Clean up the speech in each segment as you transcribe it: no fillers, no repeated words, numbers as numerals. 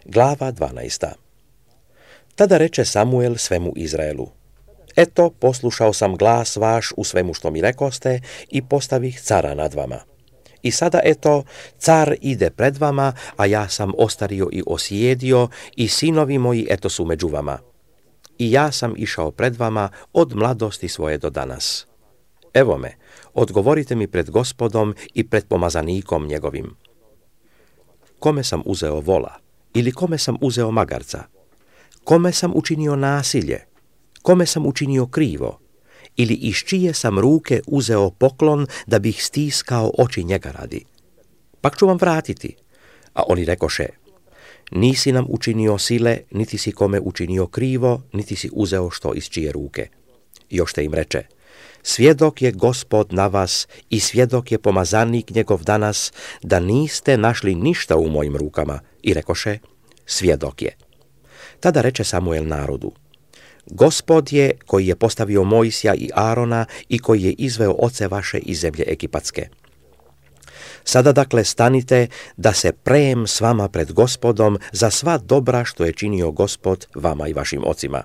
Glava 12. Tada reče Samuel svemu Izraelu: Eto, poslušao sam glas vaš u svemu što mi rekoste i postavih cara nad vama. I sada eto, car ide pred vama, a ja sam ostario i osjedio i sinovi moji eto su među vama. I ja sam išao pred vama od mladosti svoje do danas. Evo me, odgovorite mi pred Gospodom i pred pomazanikom njegovim. Kome sam uzeo vola ili kome sam uzeo magarca? Kome sam učinio nasilje? Kome sam učinio krivo? Ili iz čije sam ruke uzeo poklon da bih stiskao oči njega radi? Pak ću vam vratiti. A oni rekoše: Nisi nam učinio sile, niti si kome učinio krivo, niti si uzeo što iz čije ruke. Još te im reče: Svjedok je Gospod na vas i svjedok je pomazanik njegov danas, da niste našli ništa u mojim rukama. I rekoše: Svjedok je. Tada reče Samuel narodu: Gospod je koji je postavio Mojsija i Arona i koji je izveo oce vaše iz zemlje Egipatske. Sada dakle stanite da se prejem s vama pred Gospodom za sva dobra što je činio Gospod vama i vašim ocima.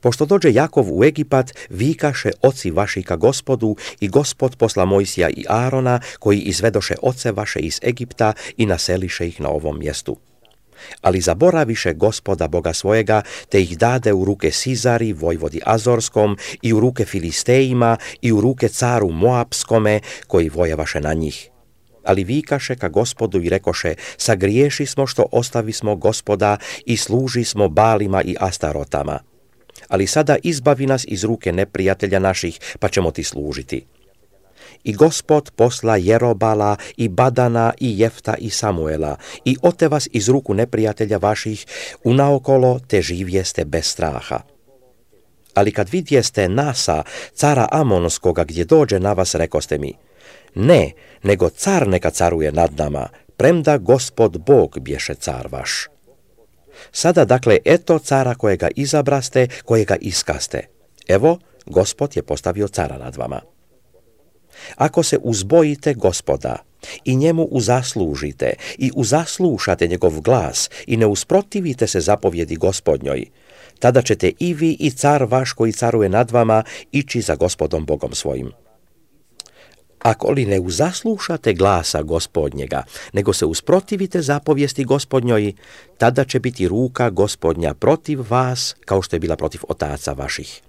Pošto dođe Jakov u Egipat, vikaše oci vaši ka Gospodu i Gospod posla Mojsija i Arona koji izvedoše oce vaše iz Egipta i naseliše ih na ovom mjestu. Ali zaboraviše Gospoda Boga svojega, te ih dade u ruke Sizari, vojvodi Azorskom, i u ruke Filistejima, i u ruke caru Moapskome, koji vojevaše na njih. Ali vikaše ka Gospodu i rekoše: Sagriješi smo što ostavismo Gospoda i služi smo Balima i Astarotama. Ali sada izbavi nas iz ruke neprijatelja naših, pa ćemo ti služiti. I Gospod posla Jerobala i Badana i Jefta i Samuela i ote vas iz ruku neprijatelja vaših unaokolo, te živjeste bez straha. Ali kad vidjeste Nasa, cara Amonskoga, gdje dođe na vas, rekoste mi: Ne, nego car neka caruje nad nama, premda Gospod Bog bješe car vaš. Sada dakle eto cara kojega izabraste, kojega iskaste. Evo, Gospod je postavio cara nad vama. Ako se uzbojite Gospoda i njemu uzaslužite i uzaslušate njegov glas i ne usprotivite se zapovjedi Gospodnjoj, tada ćete i vi i car vaš koji caruje nad vama ići za Gospodom Bogom svojim. Ako li ne uzaslušate glasa Gospodnjega, nego se usprotivite zapovijesti Gospodnjoj, tada će biti ruka Gospodnja protiv vas, kao što je bila protiv otaca vaših.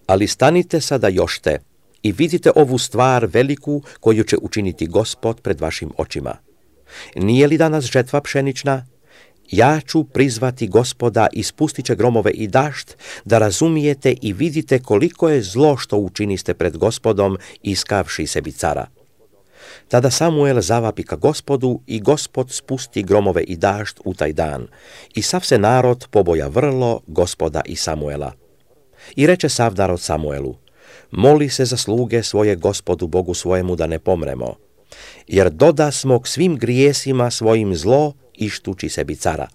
Ali stanite sada jošte i vidite ovu stvar veliku koju će učiniti Gospod pred vašim očima. Nije li danas žetva pšenična? Ja ću prizvati Gospoda i spustit će gromove i dašt, da razumijete i vidite koliko je zlo što učiniste pred Gospodom, iskavši sebi cara. Tada Samuel zavapi ka Gospodu i Gospod spusti gromove i dašt u taj dan. I sav se narod poboja vrlo Gospoda i Samuela. I reče sav narod Samuelu: Moli se za sluge svoje Gospodu Bogu svojemu da ne pomremo, jer doda smo k svim grijesima svojim zlo ištući sebi cara.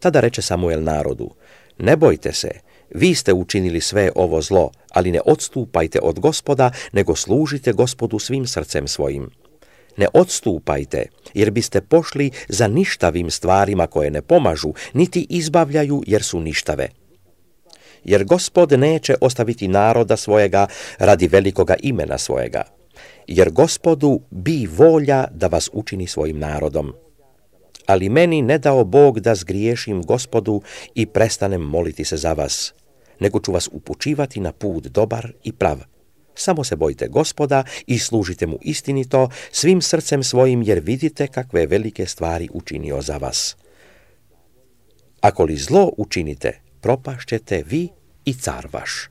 Tada reče Samuel narodu: Ne bojte se, vi ste učinili sve ovo zlo, ali ne odstupajte od Gospoda, nego služite Gospodu svim srcem svojim. Ne odstupajte, jer biste pošli za ništavim stvarima koje ne pomažu, niti izbavljaju, jer su ništave. Jer Gospod neće ostaviti naroda svojega radi velikoga imena svojega, jer Gospodu bi volja da vas učini svojim narodom. Ali meni ne dao Bog da zgriješim Gospodu i prestanem moliti se za vas, nego ću vas upućivati na put dobar i prav. Samo se bojte Gospoda i služite mu istinito svim srcem svojim, jer vidite kakve velike stvari učinio za vas. Ako li zlo učinite, propašćete vi i car vaš.